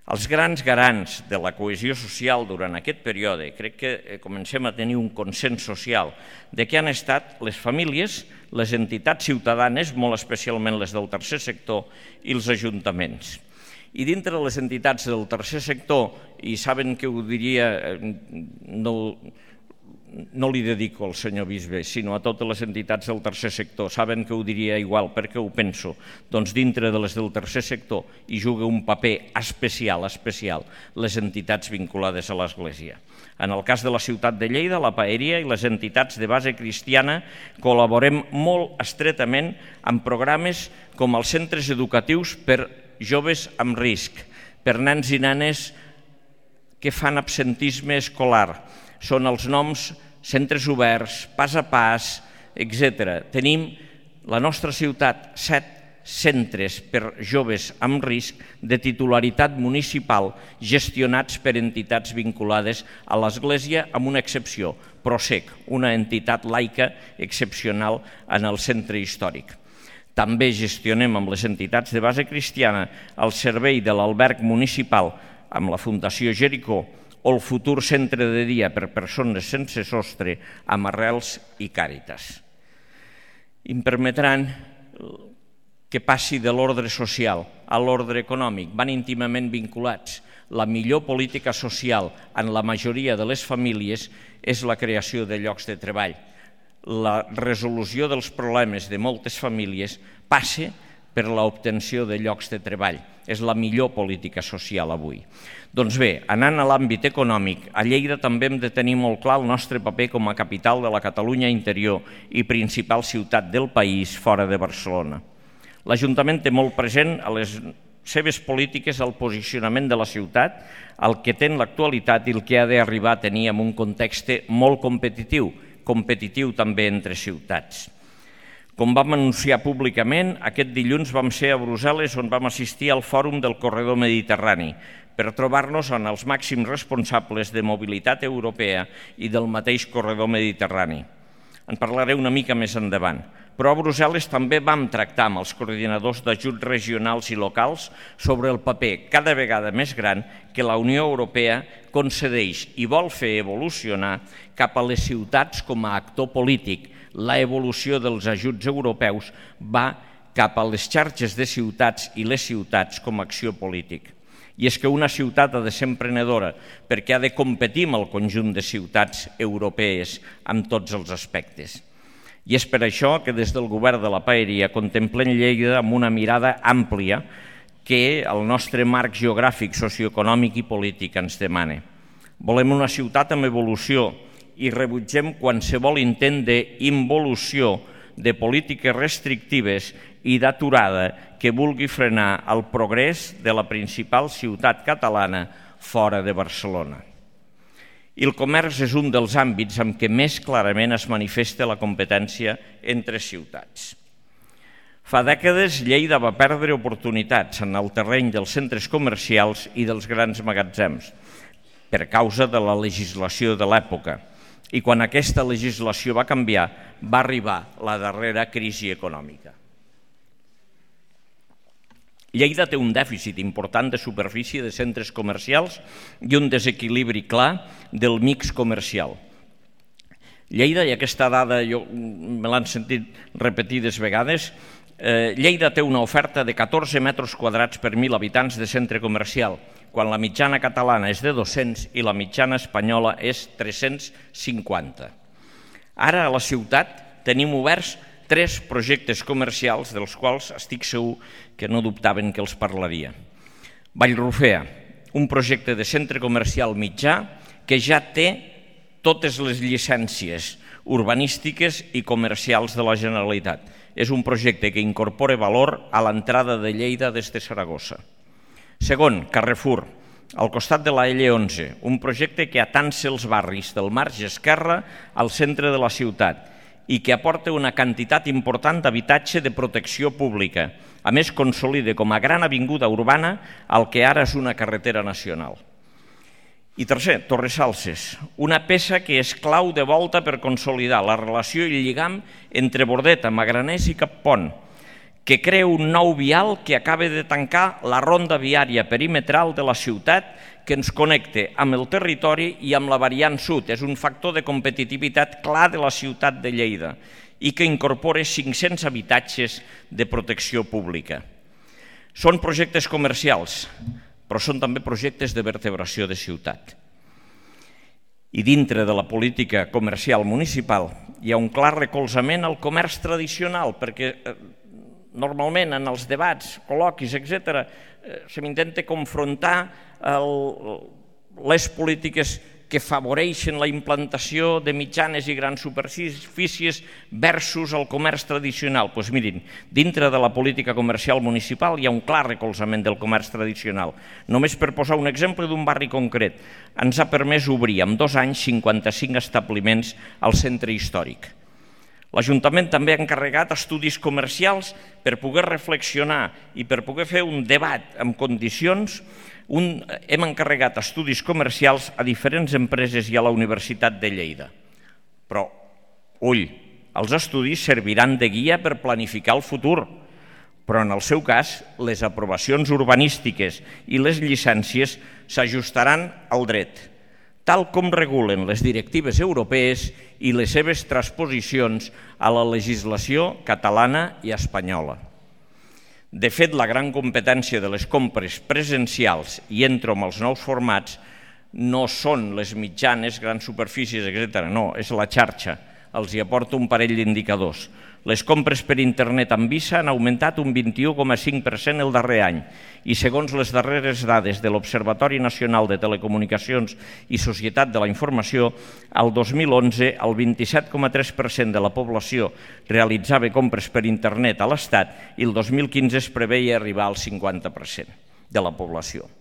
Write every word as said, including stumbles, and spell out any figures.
Els grans garants de la cohesió social durant aquest període, crec que comencem a tenir un consens social de què han estat les famílies, les entitats ciutadanes, molt especialment les del tercer sector, i els ajuntaments. I dintre de les entitats del tercer sector, i saben que ho diria, no, no li dedico al senyor bisbe, sinó a totes les entitats del tercer sector, saben que ho diria igual, perquè ho penso, doncs dintre de les del tercer sector hi juga un paper especial, especial, les entitats vinculades a l'Església. En el cas de la ciutat de Lleida, la Paeria i les entitats de base cristiana col·laborem molt estretament amb programes com els centres educatius per joves amb risc, per nens i nenes que fan absentisme escolar. Són els noms centres oberts, pas a pas, etcètera. Tenim la nostra ciutat set centres per joves amb risc de titularitat municipal gestionats per entitats vinculades a l'Església, amb una excepció, Prosec, una entitat laica excepcional en el centre històric. També gestionem amb les entitats de base cristiana el servei de l'alberg municipal amb la Fundació Jericó o el futur centre de dia per persones sense sostre amb Arrels i Càritas. Em permetran que passi de l'ordre social a l'ordre econòmic, van íntimament vinculats. La millor política social en la majoria de les famílies és la creació de llocs de treball. La resolució dels problemes de moltes famílies passa per l'obtenció de llocs de treball. És la millor política social avui. Doncs bé, anant a l'àmbit econòmic, a Lleida també hem de tenir molt clar el nostre paper com a capital de la Catalunya interior i principal ciutat del país fora de Barcelona. L'Ajuntament té molt present a les seves polítiques el posicionament de la ciutat, el que té en l'actualitat i el que ha d'arribar a tenir en un context molt competitiu, competitiu també entre ciutats. Com vam anunciar públicament, aquest dilluns vam ser a Brussel·les on vam assistir al Fòrum del Corredor Mediterrani per trobar-nos amb els màxims responsables de mobilitat europea i del mateix Corredor Mediterrani. En parlaré una mica més endavant. Però a Brussel·les també vam tractar amb els coordinadors d'ajuts regionals i locals sobre el paper cada vegada més gran que la Unió Europea concedeix i vol fer evolucionar cap a les ciutats com a actor polític. La evolució dels ajuts europeus va cap a les xarxes de ciutats i les ciutats com a acció política. I és que una ciutat ha de ser emprenedora perquè ha de competir amb el conjunt de ciutats europees en tots els aspectes. I és per això que des del govern de la Paeria contemplem Lleida amb una mirada àmplia que el nostre marc geogràfic, socioeconòmic i polític ens demana. Volem una ciutat amb evolució i rebutgem qualsevol intent d'involució de polítiques restrictives i d'aturada que vulgui frenar el progrés de la principal ciutat catalana fora de Barcelona. I el comerç és un dels àmbits en què més clarament es manifesta la competència entre ciutats. Fa dècades Lleida va perdre oportunitats en el terreny dels centres comercials i dels grans magatzems per causa de la legislació de l'època. I quan aquesta legislació va canviar, va arribar la darrera crisi econòmica. Lleida té un dèficit important de superfície de centres comercials i un desequilibri clar del mix comercial. Lleida, i aquesta dada jo me l'han sentit repetides vegades, Lleida té una oferta de catorze metres quadrats per mil habitants de centre comercial, quan la mitjana catalana és de dos-cents i la mitjana espanyola és tres-cents cinquanta. Ara a la ciutat tenim oberts tres projectes comercials dels quals estic segur que no dubtaven que els parlaria. Vallrufea, un projecte de centre comercial mitjà que ja té totes les llicències urbanístiques i comercials de la Generalitat. És un projecte que incorpora valor a l'entrada de Lleida des de Saragossa. Segon, Carrefour, al costat de la L onze, un projecte que atansa els barris del marge esquerre al centre de la ciutat i que aporta una quantitat important d'habitatge de protecció pública. A més, consolida com a gran avinguda urbana el que ara és una carretera nacional. I tercer, Torresalses, una peça que és clau de volta per consolidar la relació i el lligam entre Bordeta, Magraners i Cappont, que crea un nou vial que acaba de tancar la ronda viària perimetral de la ciutat que ens connecta amb el territori i amb la variant sud. És un factor de competitivitat clar de la ciutat de Lleida i que incorpora cinc-cents habitatges de protecció pública. Són projectes comercials, però són també projectes de vertebració de ciutat. I dintre de la política comercial municipal hi ha un clar recolzament al comerç tradicional, perquè normalment en els debats, col·loquis, etcètera, se m'intenta confrontar les polítiques que afavoreixen la implantació de mitjanes i grans superfícies versus el comerç tradicional. Doncs mirin, dintre de la política comercial municipal hi ha un clar recolzament del comerç tradicional. Només per posar un exemple d'un barri concret, ens ha permès obrir en dos anys cinquanta-cinc establiments al centre històric. L'Ajuntament també ha encarregat estudis comercials per poder reflexionar i per poder fer un debat en condicions. Hem encarregat estudis comercials a diferents empreses i a la Universitat de Lleida. Però, ull, els estudis serviran de guia per planificar el futur, però en el seu cas les aprovacions urbanístiques i les llicències s'ajustaran al dret, tal com regulen les directives europees i les seves transposicions a la legislació catalana i espanyola. De fet, la gran competència de les compres presencials, i entro amb els nous formats, no són les mitjanes, grans superfícies, etcètera. No, és la xarxa. Els hi aporto un parell d'indicadors. Les compres per internet amb Visa han augmentat un vint-i-u coma cinc per cent el darrer any i segons les darreres dades de l'Observatori Nacional de Telecomunicacions i Societat de la Informació, el dos mil onze el vint-i-set coma tres per cent de la població realitzava compres per internet a l'Estat i el dos mil quinze es preveia arribar al cinquanta per cent de la població.